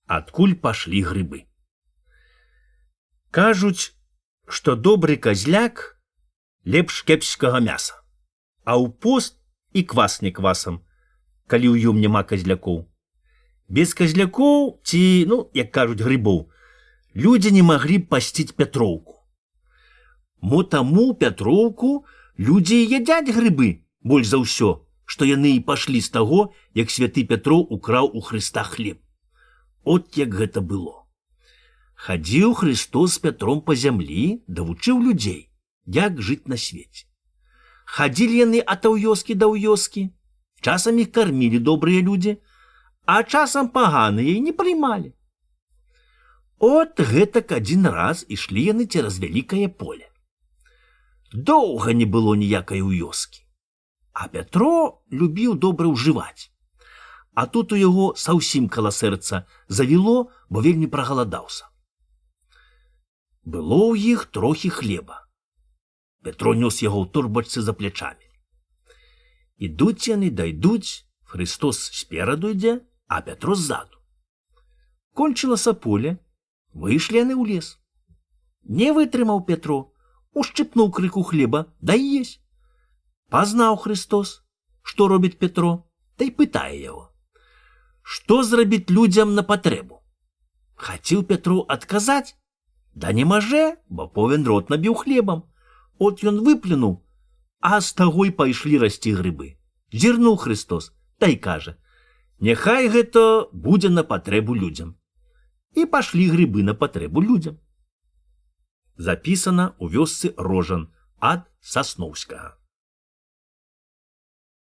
адкуль пашлі грыбы. Кажуць, што добры казляк лепш кепскага мяса, а ў пост і квас не квасам, калі ў ём няма казлякоў. Без казлякоў ці, як кажуць, грыбоў, людзі не маглі б пасціць Пятроўку. Мо таму Пятроўку людзі і ядзяць грыбы больш за ўсё, што яны і пашлі з таго, як святы Пятроў украў у Хрыста хлеб. От як гэта было. Хадзіў Христос з Пятром па зямлі, давучыў людзей, як жыць на свеце. Хадзілі яны ад вёскі да вёскі, часам іх кармілі добрыя людзі, а часам паганыя і не прымалі. От гэтак адзін раз ішлі яны цераз вялікае поле. Доўга не было ніякай вёскі, а Пятро любіў добра ўжываць. А тут у яго саўсім каля сэрца завіло, бо вельмі прагаладаўся. Было ў іх трохі хлеба. Пятро нёс яго ў торбачцы за плячамі. Ідуць яны, дайдуць, Христос спераду ідзе, а Пятро ззаду. Кончылася поле, выйшлі яны ў лес. Не вытрымаў Пятро, ушчыпнуў крыку хлеба, дай есть. Пазнаў Христос, што робіць Пятро, та й пытае яго: што зрабіць людзям на патрэбу? Хацеў Пятро адказаць, да не маже, бо повен рот набіў хлебам. От ён выплюнуў, а з таго й пайшлі расці грыбы. Зірнуў Христос, та й кажа: няхай гэта будзе на патрэбу людзям. І пашлі грыбы на патрэбу людзям. Запісана ў вёсцы Рожан ад Сасноўскага.